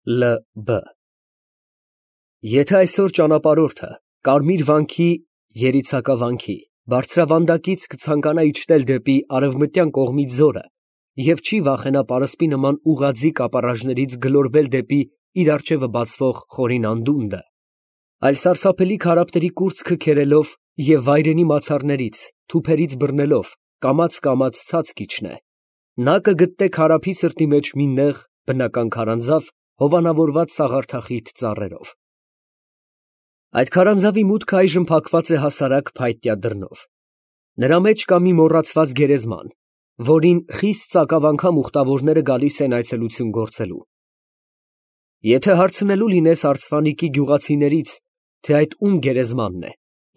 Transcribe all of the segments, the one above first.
Լ.Բ. Եթե այսօր ճանապարհորդը Կարմիր վանքի երիցակավանքի բարձրավանդակից կցանկանա իջնել դեպի արևմտյան կողմի ձորը և չի վախենա պարսպի նման ուղղաձիգ ապառաժներից գլորվել դեպի իր առջևը բացվող խորին անդունդը, այլ սարսափելի քարափների կուրծքը քերելով և վայրենի մացառներից, թուփերից բռնելով կամաց ցած կիջնե, նա կգտնե քարափի սրտի մեջ մի նեղ բնական քարանձավ հովանավորված սաղարթախիտ ծառերով։ Այդ քարանձավի մուտքը այժմ փակված է հասարակ փայտյա դռնով։ Նրա մեջ կա մի մոռացված գերեզման, որին խիստ ծակավ անգամ ուխտավորները գալիս են այցելություն գործելու։ Եթե հարցնելու լինես արցվանիկի գյուղացիներից, թե այդ ում գերեզմանն է,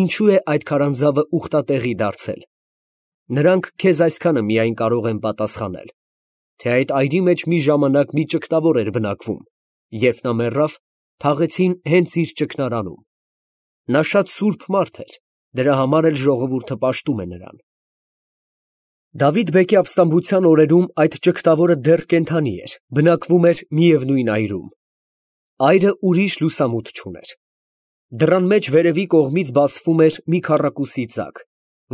ինչու է այդ քարանձավը ուխտատեղի դարձել, նրանք քեզ այսքանը միայն կարող են պատասխանել, թե այդ այրի մեջ մի ժամանակ մի ճգնավոր էր բնակվում, երբ նա մեռավ, թաղեցին հենց իր ճգնարանում։ Նա շատ սուրբ մարդ էր, դրա համար էլ ժողովուրդը պաշտում է նրան։ Դավիթ֊բեկի ապստամբության օրերում այդ ճգնավորը դեռ կենդանի էր, բնակվում էր միևնույն այրում։ Այրը ուրիշ լուսամուտ չուներ։ Դռան մեջ վերևի կողմից բացվում էր մի քառակուսի ծակ,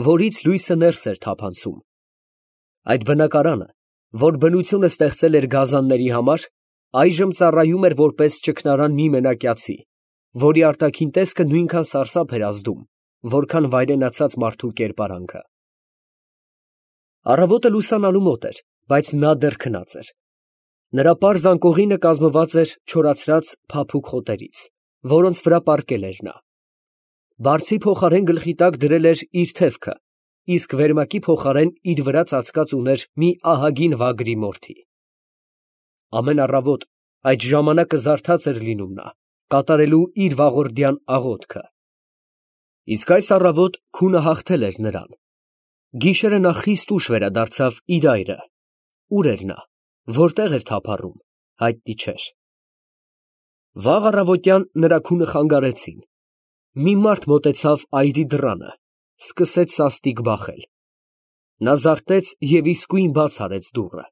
որից լույսը ներս էր թափանցում։ Այդ բնակարանը, որ բնությունը ստեղծել էր գազանների համար, այժմ ծառայում էր որպես ճգնարան մի մենակյացի, որի արտաքին տեսքը նույնքան սարսափ էր ազդում, որքան վայրենացած մարդու կերպարանքը։ Առավոտը լուսանալու մոտ էր, բայց նա դեռ քնած էր։ Նրա պարզ անկողինը կազմված էր չորացրած փափուկ խոտերից, որոնց վրա պառկել էր նա։ Բարձի փոխարեն գլխի տակ դրել էր իր թևքը, իսկ վերմակի փոխարեն իր վրա ծածկած ուներ մի ահագին վագրի մորթի։ Ամեն առավոտ այդ ժամանակը զարթած էր լինում նա, կատարելու իր վաղորդյան աղոթքը։ Իսկ այս առավոտ քունը հաղթել էր նրան։ Գիշերը նա խիստ ուշ վերադարձավ իր այրը։ Ուր էր նա, որտեղ էր թափառում, հայտնի չէր։ Վաղ առավոտյան նրա քունը խանգարեցին։ Մի մարդ մոտեցավ այրի դռանը, սկսեց սաստիկ բախել։ Նա զարթեց և իսկույն բաց արեց դուռը։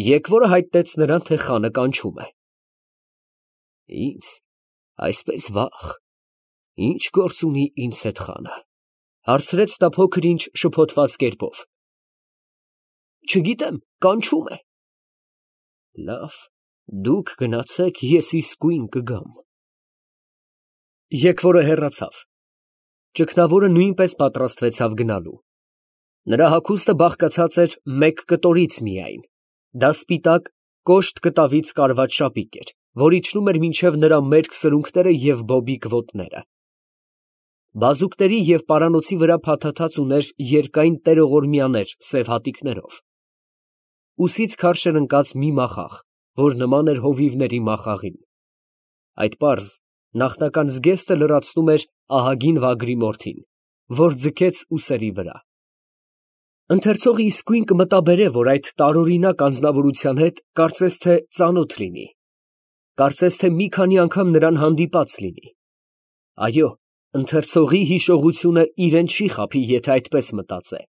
Եկվորը հայտնեց նրան, թե խանը կանչում է։ Ինձ, այսպես վաղ, ի՞նչ գործ ունի ինձ հետ խանը, հարցրեց նա փոքր-ինչ շփոթված կերպով։ Չգիտեմ, կանչում է։ Լավ, դուք գնացեք, ես իսկույն կգամ։ Եկվորը հեռացավ։ Ճգնավորը նույնպես պատրաստվեցավ գնալու։ Նրա հագուստը բաղկացած էր մեկ կտորից միայն, դա սպիտակ, կոշտ կտավից կարված շապիկ էր, որ իջնում էր մինչև նրա մերկ սրունքները և բոբիկ ոտները։ Բազուկների և պարանոցի վրա փաթաթած ուներ երկայն տերողորմյաներ սև հատիկներով։ Ուսից քարշ էր ընկած մի մախաղ, որ նման էր հովիվների մախաղին։ Այդ պարզ, նախնական զգեստը լրացնում էր ահագին վագրի մորթին, որ ձգեց ուսերի վրա։ Ընթերցողը իսկույն կմտաբերե, որ այդ տարօրինակ անձնավորության հետ կարծես թե ծանոթ լինի, կարծես թե մի քանի անգամ նրան հանդիպած լինի։ Այո, ընթերցողի հիշողությունը իրեն չի խաբի, եթե այդպես մտածե։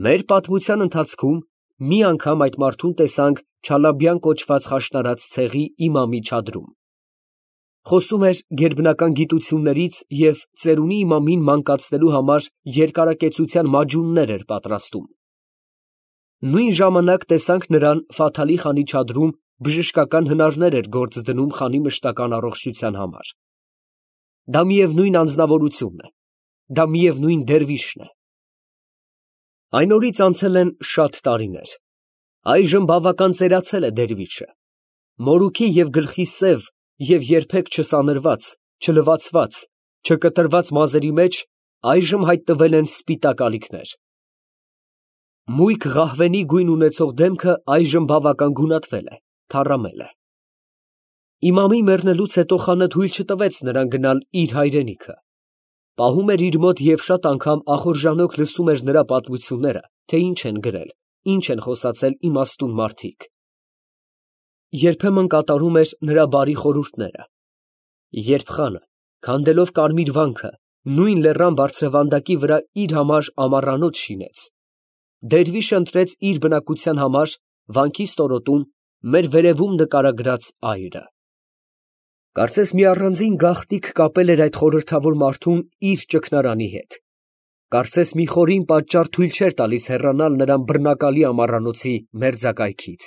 Մեր պատմության ընթացքում մի անգամ այդ մարդուն տեսանք Չալաբյան կոչված խաշնարած ցեղի իմամի չադրում։ Խոսում էր գերբնական գիտություններից և ծերունի իմամին մանկացնելու համար երկարակեցության մաջուններ էր պատրաստում։ Նույն ժամանակ տեսանք նրան Ֆաթալի խանի չադրում բժշկական հնարներ էր գործ դնում խանի մշտական առողջության համար։ Դա միևնույն անձնավորությունն է, դա միևնույն դերվիշն է։ Այն օրից անցել են շատ տարիներ։ Այժմ բավական ծերացել է դերվիշը։ Մորուքի և գլխի սև և երբեք չսանրված, չլվացված, չկտրված մազերի մեջ այժմ հայտնվել են սպիտակ ալիքներ։ Մույկ ղահվենի գույն ունեցող դեմքը այժմ բավական գունատվել է, թառամել է։ Իմամի մեռնելուց հետո խանը թույլ չտվեց նրան գնալ իր հայրենիքը։ Պահում էր իր մոտ և շատ անգամ ախորժանոք լսում էր նրա պատմությունները, թե ինչ են գրել, ինչ են խոսացել իմաստուն մարդիկ։ Երբեմն կատարում էր նրա բարի խորհուրդները։ Երբ խանը, քանդելով կարմիր վանքը, նույն լեռան բարձրավանդակի վրա իր համար ամառանոց շինեց, դերվիշը ընտրեց իր բնակության համար վանքի ստորոտում մեր վերևում նկարագրած այրը։ Կարծես մի առանձին գաղտնիք կապել էր այդ խորհրդավոր մարդուն իր ճգնարանի հետ։ Կարծես մի խորին պատճառ թույլ չէր տալիս հեռանալ նրան բռնակալի ամառանոցի մերձակայքից։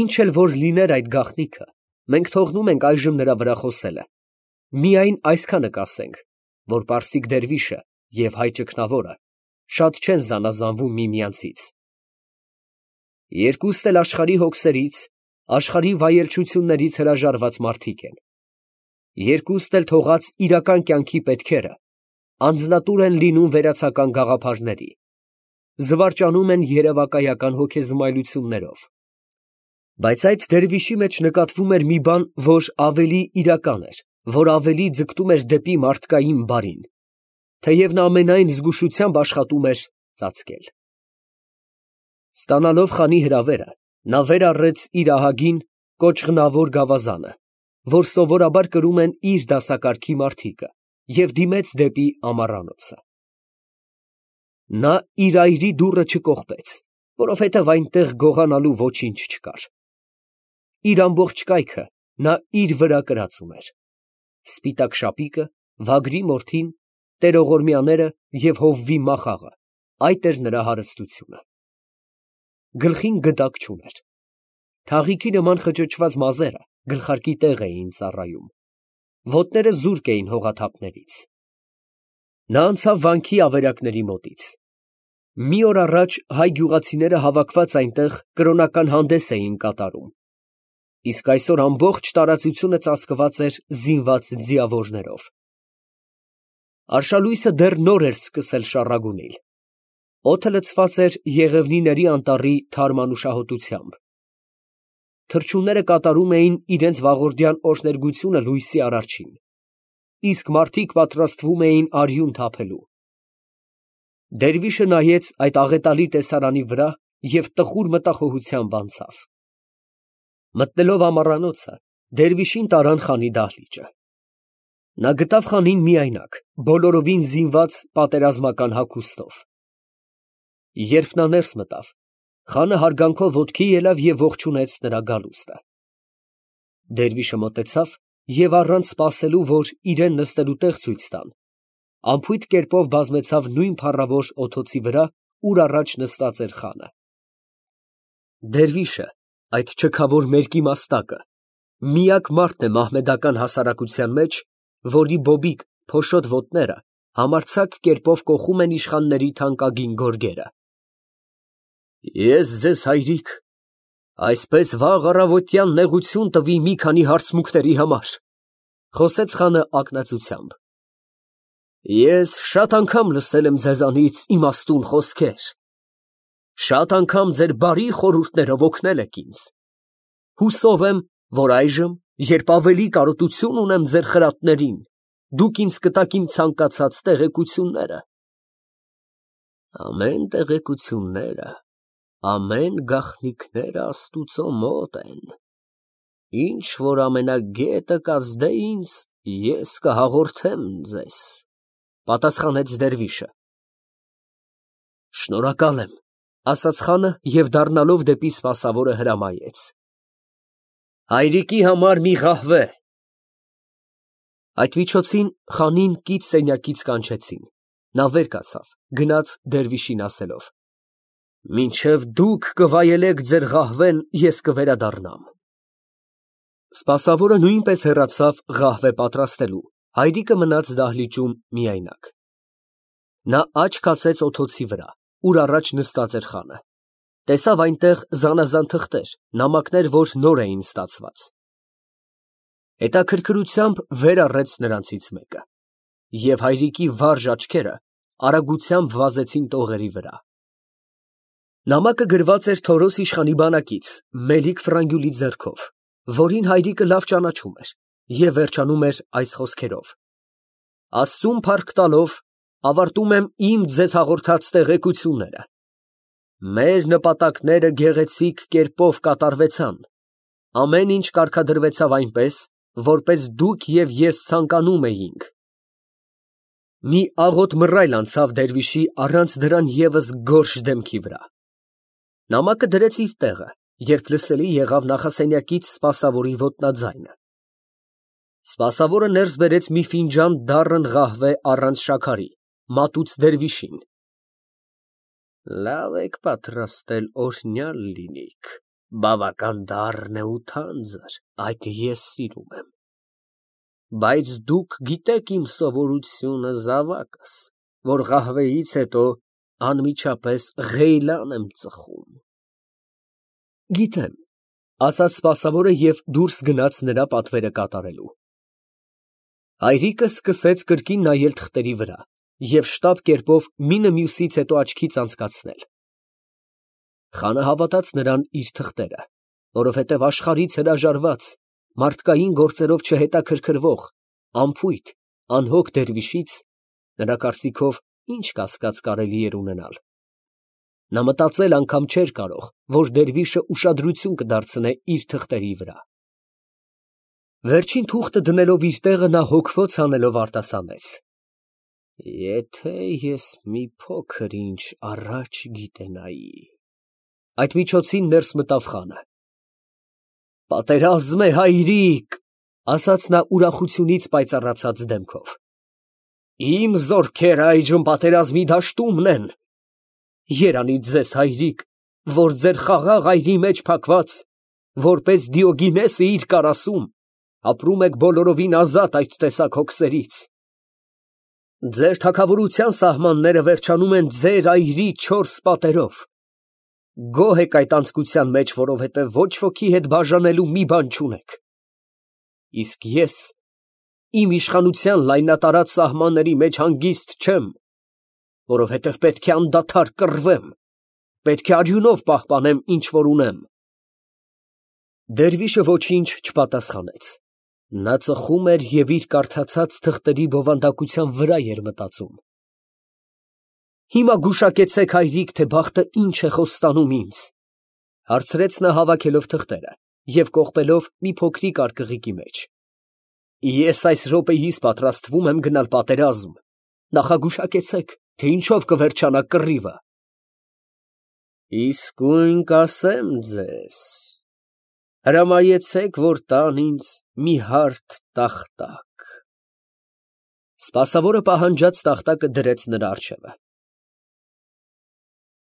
Ինչ էլ որ լիներ այդ գաղտնիքը, մենք թողնում ենք այժմ նրա վրա խոսելը։ Միայն այսքանը կասենք, որ պարսիկ դերվիշը և հայ ճգնավորը շատ չեն զանազանվում միմյանցից։ Երկուստ էլ աշխարհի հոգսերից, աշխարհի վայելչություններից հրաժարված մարդիկ են։ Երկուստ էլ թողած իրական կյանքի պետքերը անձնատուր են լինում վերացական գաղափարների, զվարճանում են երևակայական հոգեզմայլություններով։ Բայց այդ դերվիշի մեջ նկատվում էր մի բան, որ ավելի իրական էր, որ ավելի ձգտում էր դեպի մարդկային բարին, թեև նա ամենայն զգուշությամբ աշխատում էր ծածկել։ Ստանալով խանի հրավերը, նա վեր առեց իր ահագին կոճղնավոր գավազանը, որ սովորաբար կրում են իր դասակարգի մարդիկը, և դիմեց դեպի ամառանոցը։ Նա իր այրի դուռը չկողպեց, որովհետև այնտեղ գողանալու ոչինչ չկար։ Իր ամբողջ կայքը նա իր վրա կրած ուներ. սպիտակ շապիկը, վագրի մորթին, տերողորմյաները և հովվի մախաղը, այդ էր նրա հարստությունը։ Գլխին գդակ չուներ։ Թաղիքի նման խճճված մազերը գլխարկի տեղ էին ծառայում, ոտները զուրկ էին հողաթափներից։ Նա անցավ վանքի ավերակների մոտից։ Մի օր առաջ հայ գյուղացիները հավաքված այնտեղ կրոնական հանդես էին կատարում, իսկ այսօր ամբողջ տարածությունը ծածկված էր զինված ձիավորներով։ Արշալույսը դեռ նոր էր սկսել շառագունել։ Օդը լցված էր եղևնիների անտառի թարմ անուշահոտությամբ։ Թռչունները կատարում էին իրենց վաղորդյան օրհներգությունը լույսի արարչին, իսկ մարդիկ պատրաստվում էին արյուն թափելու։ Դերվիշը նայեց այդ աղետալի տեսարանի վրա և տխուր մտախոհությամբ անցավ։ Մտնելով ամառանոցը, դերվիշին տարան խանի դահլիճը։ Նա գտավ խանին միայնակ, բոլորովին զինված պատերազմական հագուստով։ Երբ նա ներս մտավ, խանը հարգանքով ոտքի ելավ և ողջունեց նրա գալուստը։ Դերվիշը մոտեցավ և առանց սպասելու, որ իրան նստելու տեղ ցույց տան, անփույթ կերպով բազմեցավ նույն փառավոր օդոցի վրա, ուր առաջ նստած էր խանը։ Դերվիշը, այդ չքավոր մերկի մաստակը, միակ մարդն է մահմեդական հասարակության մեջ, որի բոբիկ փոշոտ ոտները համարձակ կերպով կոխում են իշխանների թանկագին գորգերը։ Ես ձեզ, հայրիկ, այսպես վաղ առավոտյան նեղություն տվի մի քանի հարցմունքների համար, խոսեց խանը ակնածությամբ։ Ես շատ անգամ լսել եմ ձեզանից իմաստուն խոսքեր, շատ անգամ ձեր բարի խորհուրդներով օգնել եք ինձ։ Հուսով եմ, որ այժմ, երբ ավելի կարոտություն ունեմ ձեր խրատներին, դուք ինձ կտաք իմ ցանկացած տեղեկությունները։ Ամեն տեղեկությունները, ամեն գաղտնիքները Աստուծո մոտ են։ Ինչ որ ամենագետը կազդե ինձ, ես կհաղորդեմ ձեզ, պատասխանեց դերվիշը։ Շնորհակալ եմ, ասաց խանը և դառնալով դեպի սպասավորը հրամայեց։ Հայրիկի համար մի ղահվե։ Այդ միջոցին խանին կից սենյակից կանչեցին։ Նա վեր կացավ, գնաց դերվիշին ասելով. Մինչև դուք կվայելեք ձեր ղահվեն, ես կվերադառնամ։ Սպասավորը նույնպես հեռացավ ղահվե պատրաստելու, հայրիկը մնաց դահլիճում միայնակ։ Նա աչք կացեց օդոցի վրա, ուր առաջ նստած էր խանը։ Տեսավ այնտեղ զանազան թղթեր, նամակներ, որ նոր էին ստացված։ Հետաքրքրությամբ վեր առեց նրանցից մեկը, և հայրիկի վարժ աչքերը արագությամբ վազեցին տողերի վրա։ Նամակը գրված էր Թորոս իշխանի բանակից, Մելիք Ֆրանգյուլի ձեռքով, որին հայրիկը լավ ճանաչում էր, և վերջանում էր այս խոսքերով. Աստծուն փառք տալով, ավարտում եմ իմ ձեզ հաղորդած տեղեկությունները։ Մեր նպատակները գեղեցիկ կերպով կատարվեցան։ Ամեն ինչ կարգադրվեցավ այնպես, որպես դուք և ես ցանկանում էինք։ Մի աղոտ մռայլ անցավ դերվիշի առանց դրան ևս գորշ դեմքի վրա։ Նամակը դրեց իր տեղը երբ լսելի եղավ նախասենյակից սպասավորի ոտնաձայնը։ Սպասավորը ներս բերեց մի ֆինջան դառն ղահվե առանց շաքարի, մատուց դերվիշին։ Լավ եք պատրաստել, օրհնյալ լինիք, բավական դառն է ու թանձր, այդ ես սիրում եմ։ Բայց դուք գիտեք իմ սովորությունը, զավակս, որ ղահվեից հետո անմիջապես ղեյլան եմ ծխում։ Գիտեմ, ասաց սպասավորը և դուրս գնաց նրա պատվերը կատարելու։ Հայրիկը սկսեց կրկին նայել թղթերի վրա և շտապ կերպով մինը մյուսից հետո աչքից անցկացնել։ Խանը հավատաց նրան իր թղթերը, որովհետև աշխարհից հրաժարված, մարդկային գործերով չհետաքրքրվող, անփույթ, անհոգ դերվիշից նրա կարծիքով ինչ կասկած կարելի էր ունենալ։ Նա մտածել անգամ չէր կարող, որ դերվիշը ուշադրություն կդարձնե իր թղթերի վրա։ Վերջին թուղթը դնելով իր տեղը նա հոգվոց անելով արտասանեց. Եթե ես մի փոքր ինչ առաջ գիտենայի… Այդ միջոցին ներս մտավ խանը։ Պատերազմ է, հայրիկ, ասաց նա ուրախությունից պայծառացած դեմքով։ Իմ զորքերը այժմ պատերազմի դաշտումն են։ Երանից ձեզ, հայրիկ, որ ձեր խաղաղ այրի մեջ փակված, որպես Դիոգինեսը իր կարասում, ապրում եք բոլորովին ազատ այդ տեսակ հոգսերից։ Ձեր թագավորության սահմանները վերջանում են ձեր այրի 4 պատերով։ Գոհ եք այդ անձկության մեջ, որովհետև ոչ ոքի հետ բաժանելու մի բան չունեք։ Իսկ ես իմ իշխանության լայնատարած սահմանների մեջ հանգիստ չեմ, որովհետև պետք է անդադար կռվեմ, պետք է արյունով պահպանեմ, ինչ որ ունեմ։ Դերվիշը ոչինչ չպատասխանեց։ Նա ծխում էր և իր կարդացած թղթերի բովանդակության վրա էր մտածում։ Հիմա գուշակեցեք, հայրիկ, թե բախտը ինչ է խոստանում ինձ, հարցրեց նա հավաքելով թղթերը և կողպելով մի փոքրիկ արկղիկի մեջ։ Ես այս րոպեիս պատրաստվում եմ գնալ պատերազմ, նախագուշակեցեք, թե ինչով կվերջանա կռիվը։ Իսկույն կասեմ ձեզ, հրամայեցեք, որ տան ինձ մի հարթ տախտակ։ Սպասավորը պահանջած տախտակը դրեց նրա առջևը։